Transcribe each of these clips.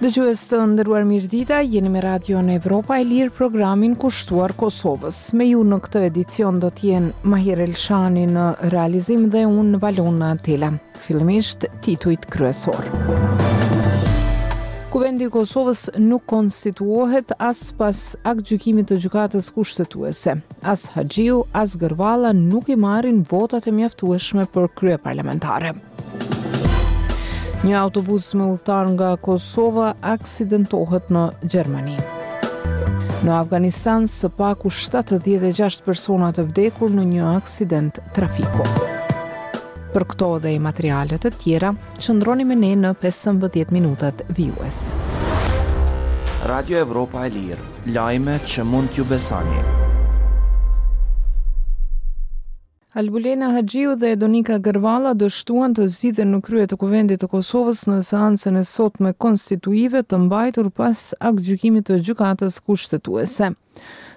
Dëgjues të nderuar mirëdita, jeni me Radion Evropa e Lirë programin kushtuar Kosovës. Me ju në këtë edicion do të jenë Mahir Elshani në realizim dhe unë Valona Tela. Fillimisht titujt kryesorë. Kuvendi i Kosovës nuk konstituohet as pas aktgjykimit të Gjykatës Kushtetuese. As Haxhiu, as Gërvalla nuk i marrin votat e mjaftueshme për kryeparlamentare. Një autobus me udhëtarë nga Kosova aksidentohet në Gjermani. Në Afganistan, së paku 76 persona të vdekur në një aksident trafiku. Për këto dhe materiale të tjera, qëndroni me ne në 15 minutat vijues. Radio Evropa e Lirë, lajme që mund t'ju besoni. Albulena Haxhiu dhe Donika Gërvalla dështuan të zgjidhen në krye të Kuvendit të Kosovës në seancën e sotme konstituive të mbajtur pas aktgjykimit të Gjykatës Kushtetuese.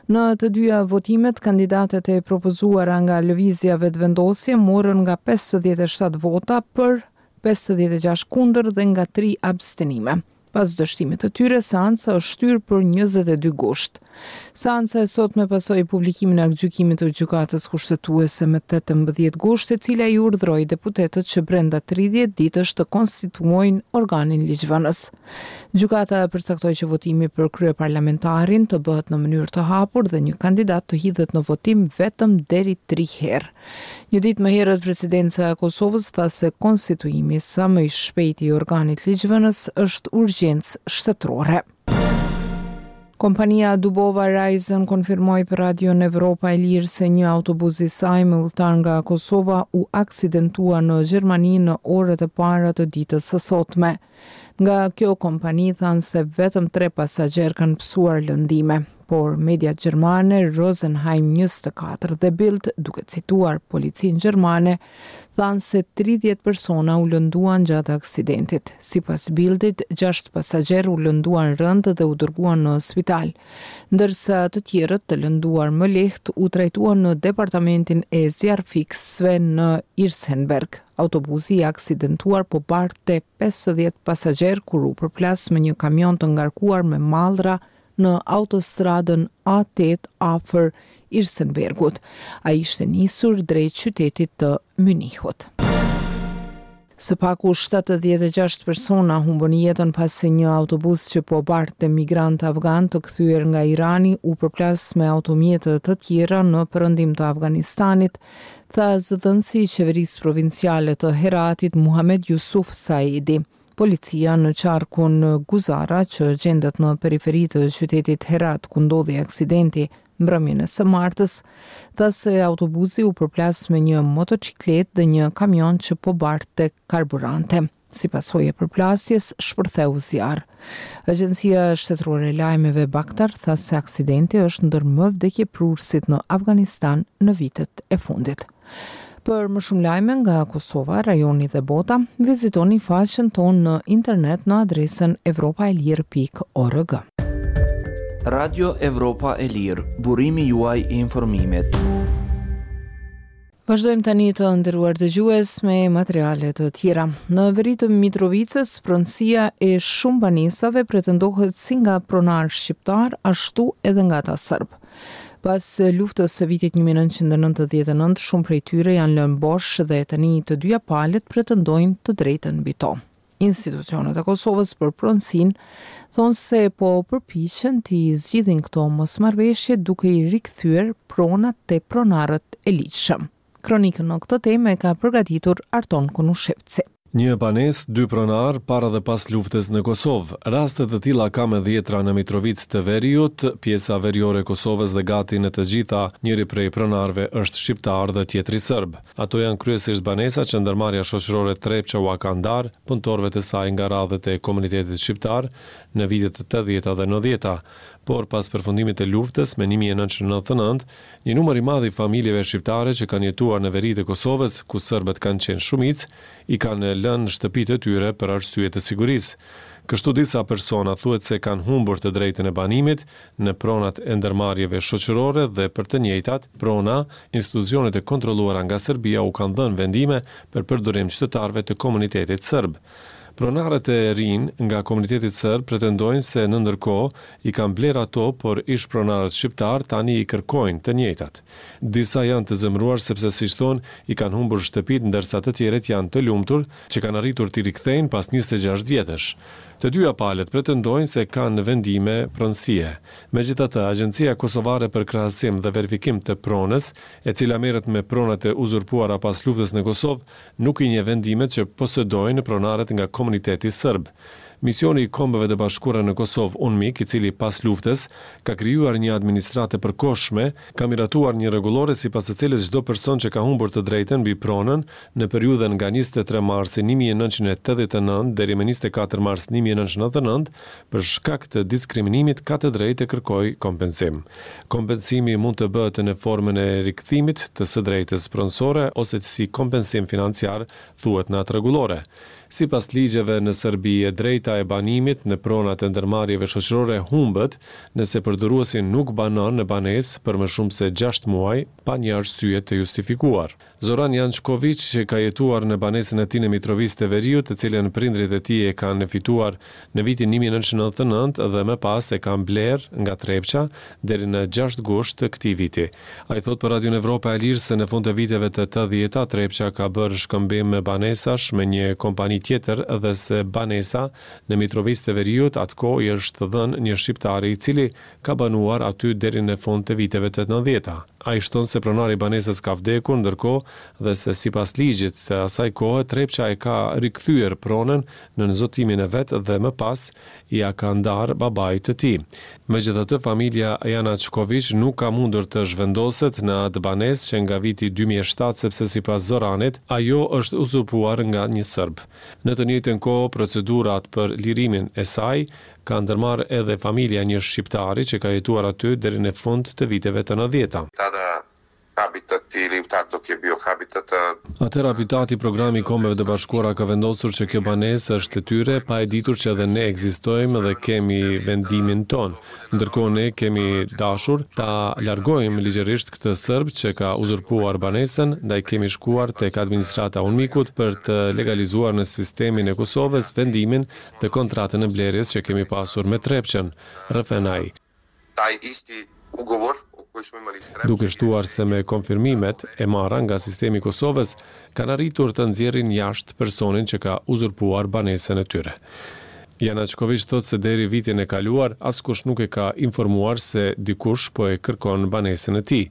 Në të dyja votimet, kandidatet e propozuara nga Lëvizja Vetëvendosje morën nga 57 vota për, 56 kundër dhe nga tri abstenime. Pas dështimit të tyre, seanca është shtyrë për 22 gusht. Seanca e sotme pasoi publikimin e aktgjykimit të Gjykatës Kushtetuese me 18 gusht, e cila i urdhëroi deputetët që brenda 30 ditësh të konstituojnë organin ligjvënës. Gjykata përcaktoi që votimi për kryeparlamentarin të bëhet në mënyrë të hapur dhe një kandidat të hidhet në votim vetëm deri tri herë. Një ditë më herët Presidenca e Kosovës tha se konstituimi sa më i shpejtë i organit ligjvënës është urgjencë shtetërore. Kompania Dubova Reisen konfirmoi për Radion Evropa e Lirë se një autobus i saj me udhëtarë nga Kosova u aksidentua në Gjermani në orët e para të ditës së sotme. Nga kjo kompani thanë se vetëm tre pasagjerë kanë pësuar lëndime, por mediat gjermane Rosenheim 24 dhe Bild, duke cituar policinë gjermane, thanë se 30 persona u lënduan gjatë aksidentit. Sipas Bildit, 6 pasagjerë u lënduan rëndë dhe u dërguan në spital, ndërsa të tjerët të lënduar më lehtë u trajtuan në departamentin e zjarrfikësve në Irsenberg. Autobusi i aksidentuar po bartte 50 pasagjerë kur u përplas me një kamion të ngarkuar me mallra në autostradën A8 afër Irsenbergut. Ai ishte nisur drejt qytetit të Mynihut. Së paku 76 persona humbën jetën pasi një autobus që po bartte migrantë afganë të kthyer nga Irani u përplas me automjete të tjera në perëndim të Afganistanit, tha zëdhënësi i qeverisë provinciale të Heratit, Muhamed Jusuf Saidi. Policia në qarkun Guzara, që gjendet në periferi të qytetit Herat, ku ndodhi aksidenti mbrëmjen e së martës, tha se autobusi u përplas me një motoçikletë dhe një kamion që po bartte karburante. Si pasojë e përplasjes, shpërtheu zjarr. Agjencia Shtetërore e Lajmeve Bakhtar tha se aksidenti është ndër më vdekjeprurësit në Afganistan në vitet e fundit. Për më shumë lajme nga Kosova, rajoni dhe bota, vizitoni faqen tonë në internet në adresën evropaelire.org. Radio Evropa e Lirë, burimi juaj i informimit. Vazhdojmë tani të nderuar dëgjues me materiale të tjera. Në veri të Mitrovicës, pronësia e shumë banesave pretendohet si nga pronarë shqiptarë, ashtu edhe nga ata serbë. Pas luftës së vitit 1999, shumë prej tyre janë lënë bosh dhe tani të dyja palët pretendojnë të drejtën mbi to. Institucionet e Kosovës për pronësinë thonë se po përpiqen t'i zgjidhin këto mosmarrëveshje duke i rikthyer pronat te pronarët e ligjshëm. Kronikën në këtë temë e ka përgatitur Arton Konushevci. Një banesë, dy pronarë, para dhe pas luftës në Kosovë. Raste të tilla ka me dhjetra në Mitrovicë të Veriut, pjesa veriore e Kosovës dhe gati në të gjitha, njëri prej pronarëve është shqiptar dhe tjetri serb. Ato janë kryesisht banesa që ndërmarrja shoqërore Trepça ua ka ndarë punëtorëve të saj nga radhët e komunitetit shqiptar në vitet e tetëdhjeta dhe nëntëdhjeta. Por pas përfundimit të luftës me 1999, një numër i madh i familjeve shqiptare që kanë jetuar në veri të Kosovës, ku serbët kanë qenë shumicë, i kanë lënë shtëpitë e tyre për arsye të sigurisë. Kështu disa persona thuhet se kanë humbur të drejtën e banimit në pronat e ndërmarrjeve shoqërore dhe për të njëjtat prona, institucionet e kontrolluara nga Serbia u kanë dhënë vendime për përdorim qytetarëve të komunitetit serb. Pronarët e rinj nga komuniteti serb pretendojnë se në ndërkohë i kanë blerë ato, por ish-pronarët shqiptarë tani i kërkojnë të njëjtat. Disa janë të zemëruar sepse siç thonë i kanë humbur shtëpitë ndërsa të tjerët janë të lumtur që kanë arritur t'i rikthejnë pas 26 vjetësh. Të dyja palët pretendojnë se kanë vendime pronësie. Megjithatë, Agjencia Kosovare për Krahasim dhe Verifikim të Pronës, e cila merret me pronat e uzurpuara pas luftës në Kosovë, nuk i njeh vendimet që posedojnë pronarët nga komuniteti serb. Misioni i Kombeve të Bashkuara në Kosovë, UNMIK, i cili pas luftës ka krijuar një administratë të përkohshme, ka miratuar një rregullore sipas së cilës çdo person që ka humbur të drejtën mbi pronën në periudhën nga 23 marsi 1989 deri më 24 mars 1999 për shkak të diskriminimit ka të drejtë të kërkojë kompensim. Kompensimi mund të bëhet në formën e rikthimit të së drejtës pronësore ose si kompensim financiar, thuhet në atë rregullore. Sipas ligjeve në Serbi, e drejta e banimit në pronat e ndërmarrjeve shoqërore humbet nëse përdoruesi nuk banon në banesë për më shumë se gjashtë muaj pa një arsye të justifikuar. Zoran Jançkoviq ka jetuar në banesën e tij në Mitrovicë të Veriut, të cilën prindërit e tij e kanë fituar në vitin 1999 dhe më pas e kanë blerë nga Trepça deri në 6 gusht të këtij viti. Ai thotë për Radion Evropa e Lirë se në fund të viteve të 80-ta Trepça ka bërë shkëmbim banesash me një kompani tjetër dhe se banesa në Mitrovicë të Veriut atë kohë i është dhënë një shqiptari i cili ka banuar aty deri në fund të viteve të 90-ta. Ai shton se pronari i banesës ka vdekur ndërkohë dhe se sipas ligjit të asaj kohe Trepça e ka rikthyer pronën nën zotimin e vet dhe më pas ia ka ndarë babait të tij. Megjithatë, familja Janaqkoviq nuk ka mundur të zhvendoset në atë banesë që nga viti 2007 sepse sipas Zoranit, ajo është uzurpuar nga një serb. Në të njëjtën kohë, procedurat për lirimin e saj ka ndërmarrë edhe familja e një shqiptari që ka jetuar aty deri në fund të viteve të 90-ta. Tada Habitat ili tad dok je bio Habitat. Atëherë Habitati, programi i Kombeve të Bashkuara ka vendosur që kjo banesë është e tyre, pa e ditur që edhe ne ekzistojmë dhe kemi vendimin tonë. Ndërkohë ne kemi dashur ta largojmë ligjërisht këtë serb që ka uzurpuar banesën, ndaj kemi shkuar tek administrata e UNMIK-ut për të legalizuar në sistemin e Kosovës vendimin dhe kontratën e blerjes që kemi pasur me Trepçën, rrëfen ai. Taj isti ugovor o koji smo imali s Trepçom Duke shtuar se me konfirmimet e marra nga sistemi i Kosovës kanë arritur të nxjerrin jashtë personin që ka uzurpuar banesën e tyre. Janaqkoviq thotë se deri vitin e kaluar askush nuk e ka informuar se dikush po e kërkon banesën e tij.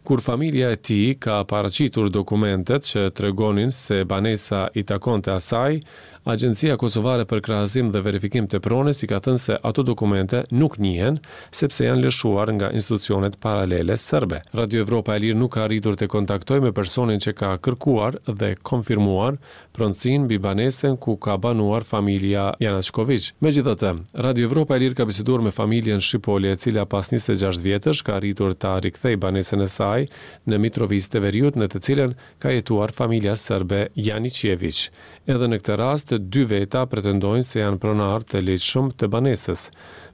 Kur familja e tij ka paraqitur dokumentet që tregonin se banesa i takonte asaj, Agjencia Kosovare për Krahasim dhe Verifikim të Pronës i ka thënë se ato dokumente nuk njihen, sepse janë lëshuar nga institucionet paralele serbe. Radio Evropa e Lirë nuk ka arritur të kontaktojë me personin që ka kërkuar dhe konfirmuar pronësinë mbi banesën ku ka banuar familja Janaqkoviq. Megjithatë, Radio Evropa e Lirë ka biseduar me familjen Shipoli e cila pas 26 vjetësh ka arritur ta rikthejë banesën e saj në Mitrovicë të Veriut në të cilën ka jetuar familja serbe Janiqeviq. Edhe në këtë rast, dy veta pretendojnë se janë pronarë të ligjshëm të banesës.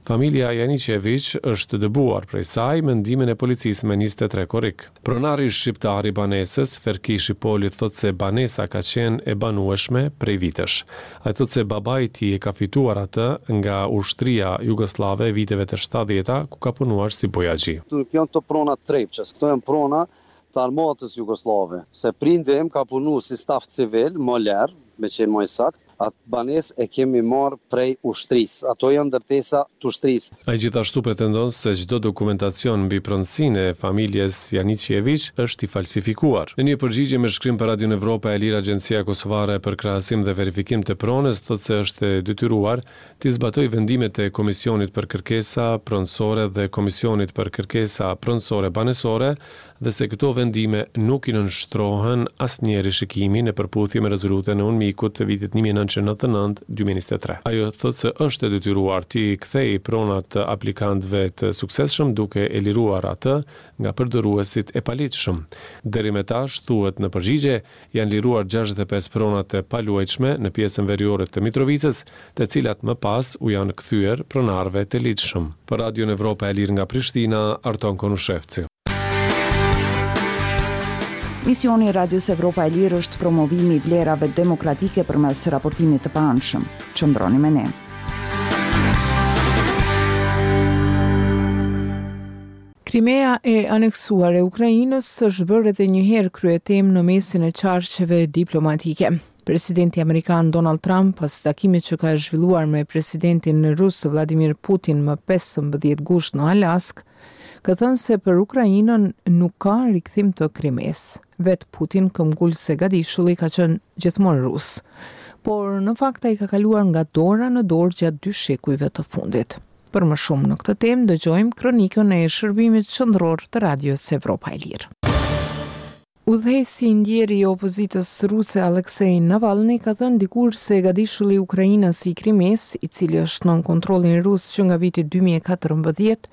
Familja Janiqeviq është dëbuar prej saj me ndihmën e policisë më 23 korrik. Pronari shqiptar i banesës, Ferki Shipoli thotë se banesa ka qenë e banueshme prej vitesh. Ai thotë se babai i tij e ka fituar atë nga ushtria jugosllave e viteve të 70-ta, ku ka punuar si bojaxhi. Këto nuk janë të prona të Trepçës, këto janë prona të armatës jugosllave, se prindi im ka punu si staf civil, moler, me qenë më i saktë, atë banesë e kemi marrë prej ushtrisë. Ato janë ndërtesa të ushtrisë. Ai gjithashtu pretendon se çdo dokumentacion mbi pronësinë e familjes Janiqeviq është i falsifikuar. Në një përgjigje me shkrim për Radion Evropa e Lirë, Agjencia Kosovare për Krahasim dhe Verifikim të Pronës thotë se është e detyruar t'i zbatojë vendimet e Komisionit për Kërkesa Pronësore dhe Komisionit për Kërkesa Pronësore Banesore dhe se këto vendime nuk i nënshtrohen asnjë rishikimi në përputhje me rezolutën e UNMIK-ut të vitit 1999-2023. Ajo thotë se është e detyruar t'i kthejë pronat aplikantëve të suksesshëm duke e liruar atë nga përdoruesit e paligjshëm. Deri me tash, thuhet në përgjigje, janë liruar 65 prona të paluajtshme në pjesën veriore të Mitrovicës, të cilat më pas u janë kthyer pronarëve të ligjshëm. Për Radion Evropa e Lirë nga Prishtina, Arton Konushevci. Misioni i Radios Evropa e Lirë është promovimi i vlerave demokratike përmes raportimit të paanshëm. Qëndroni me ne. Krimea e aneksuar e Ukrainës është bërë edhe një herë kryetemë në mesin e qarqeve diplomatike. Presidenti amerikan Donald Trump pas takimit që ka zhvilluar me presidentin rus Vladimir Putin më 15 gusht në Alaskë, ka thënë se për Ukrainën nuk ka rikthim të Krimesë. Vetë Putin këmbgul se gadishulli ka qenë gjithmonë rus. Por në fakt ai ka kaluar nga dora në dorë gjatë dy shekujve të fundit. Për më shumë në këtë temë dëgjojmë kronikën e Shërbimit Qendror të Radios Evropa e Lirë. Udhëheqësi i ndjerë i opozitës ruse Alexei Navalny ka thënë dikur se gadishulli ukrainas i Krimesë, i cili është nën kontrollin rus që nga viti 2014,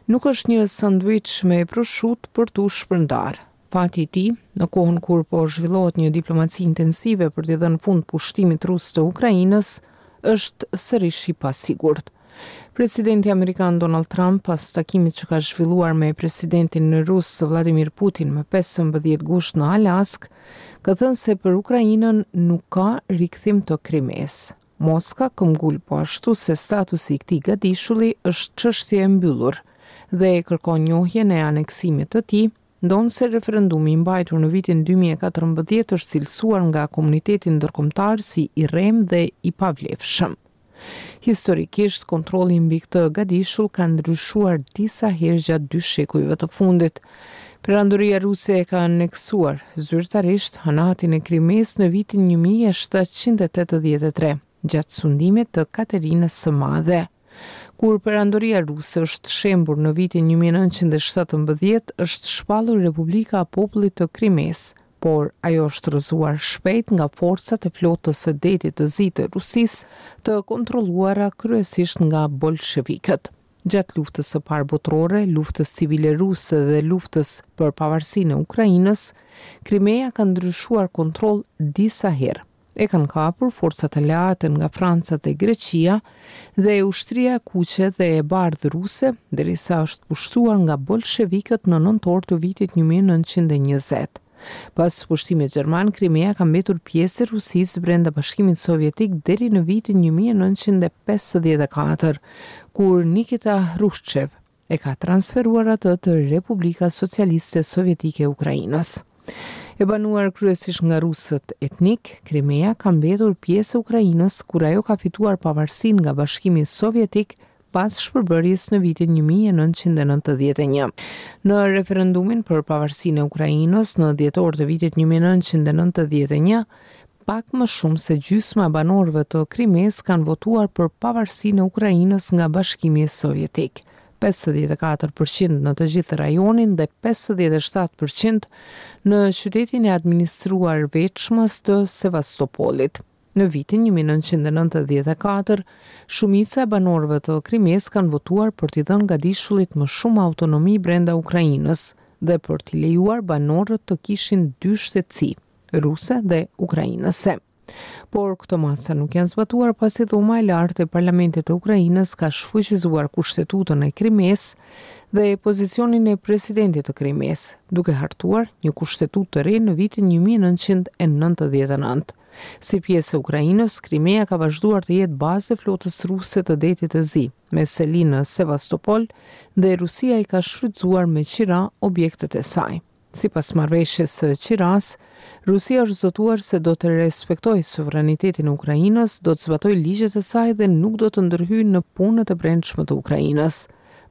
nuk është një sanduiç me proshutë për t'u shpërndarë. Fati i tij, në kohën kur po zhvillohet një diplomaci intensive për t'i dhënë fund pushtimit rus të Ukrainës, është sërish i pasigurt. Presidenti amerikan Donald Trump pas takimit që ka zhvilluar me presidentin rus Vladimir Putin më 15 gusht në Alaskë, ka thënë se për Ukrainën nuk ka rikthim të Krimesë. Moska këmbgul po ashtu se statusi i këtij gadishulli është çështje e mbyllur dhe kërkon njohjen e aneksimit të tij, ndonëse referendumi i mbajtur në vitin 2014 është cilësuar nga komuniteti ndërkombëtar si i rremë dhe i pavlefshëm. Historikisht, kontrolli mbi këtë gadishull ka ndryshuar disa herë gjatë dy shekujve të fundit. Perandoria Ruse e ka aneksuar zyrtarisht Hanatin e Krimesë në vitin 1783, gjatë sundimit të Katerinës së Madhe. Kur Perandoria Ruse është shembur në vitin 1917, është shpallur Republika e Popullit të Krimesë, por ajo është rrëzuar shpejt nga forcat e flotës së Detit të Zi të Rusisë, të kontrolluara kryesisht nga bolshevikët. Gjatë Luftës së Parë Botërore, Luftës Civile Ruse dhe Luftës për Pavarësinë e Ukrainës, Krimeja ka ndryshuar kontroll disa herë. E kanë kapur forcat aleate nga Franca dhe Greqia dhe ushtria e kuqe dhe e bardhë ruse, derisa është pushtuar nga bolshevikët në nëntor të vitit 1920. Pas pushtimit gjerman, Krimea ka mbetur pjesë e Rusisë brenda Bashkimit Sovjetik deri në vitin 1954, kur Nikita Hrushçev e ka transferuar atë të Republika Socialiste Sovjetike e Ukrainës. E banuar kryesisht nga rusët etnikë, Krimea ka mbetur pjesë e Ukrainës kur ajo ka fituar pavarësinë nga Bashkimi Sovjetik pas shpërbërjes në vitin 1991. Në referendumin për pavarësinë e Ukrainës në dhjetor të vitit 1991, Pak më shumë se gjysma e banorëve të Krimesë kanë votuar për pavarësinë e Ukrainës nga Bashkimi Sovjetik, 54 për qind në të gjithë rajonin dhe 57 për qind në qytetin e administruar veçmas të Sevastopolit. Në vitin 1994, shumica e banorëve të Krimesë kanë votuar për t'i dhënë gadishullit më shumë autonomi brenda Ukrainës dhe për t'i lejuar banorët të kishin dy shtetësi. ruse dhe ukrainase. Por këto masa nuk janë zbatuar pasi Dhoma e Lartë e Parlamentit të Ukrainës ka shfuqizuar kushtetutën e Krimesë dhe pozicionin e presidentit të Krimesë, duke hartuar një kushtetutë të re në vitin 1999. Si pjesë e Ukrainës, Krimea ka vazhduar të jetë bazë e flotës ruse të Detit të Zi, me seli në Sevastopol dhe Rusia i ka shfrytëzuar me qira objektet e saj. Sipas marrëveshjes së qirasë, Rusia është zotuar se do të respektojë sovranitetin e Ukrainës, do të zbatojë ligjet e saj dhe nuk do të ndërhyjë në punët e brendshme të Ukrainës.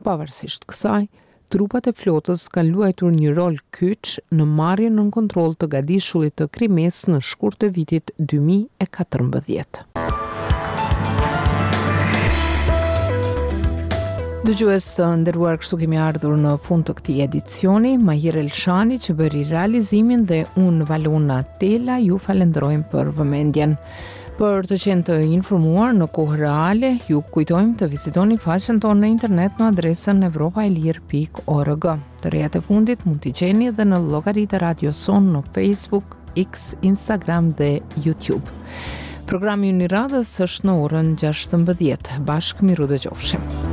Pavarësisht kësaj, trupat e flotës kanë luajtur një rol kyç në marrjen nën kontroll të gadishullit të Krimesë në shkurt të vitit 2014. Dëgjues të nderuar, kështu kemi ardhur në fund të këtij edicioni. Mahir Elshani që bëri realizimin dhe unë Valona Tela ju falenderojmë për vëmendjen. Për të qenë të informuar në kohë reale, ju kujtojmë të vizitoni faqen tonë në internet në adresën evropaelire.org. Të rejat e fundit mund t'i gjeni edhe në llogaritë e radios sonë në Facebook, X, Instagram dhe YouTube. Programi ynë i radhës është në orën 16. Bashkë mirudëgjofshim.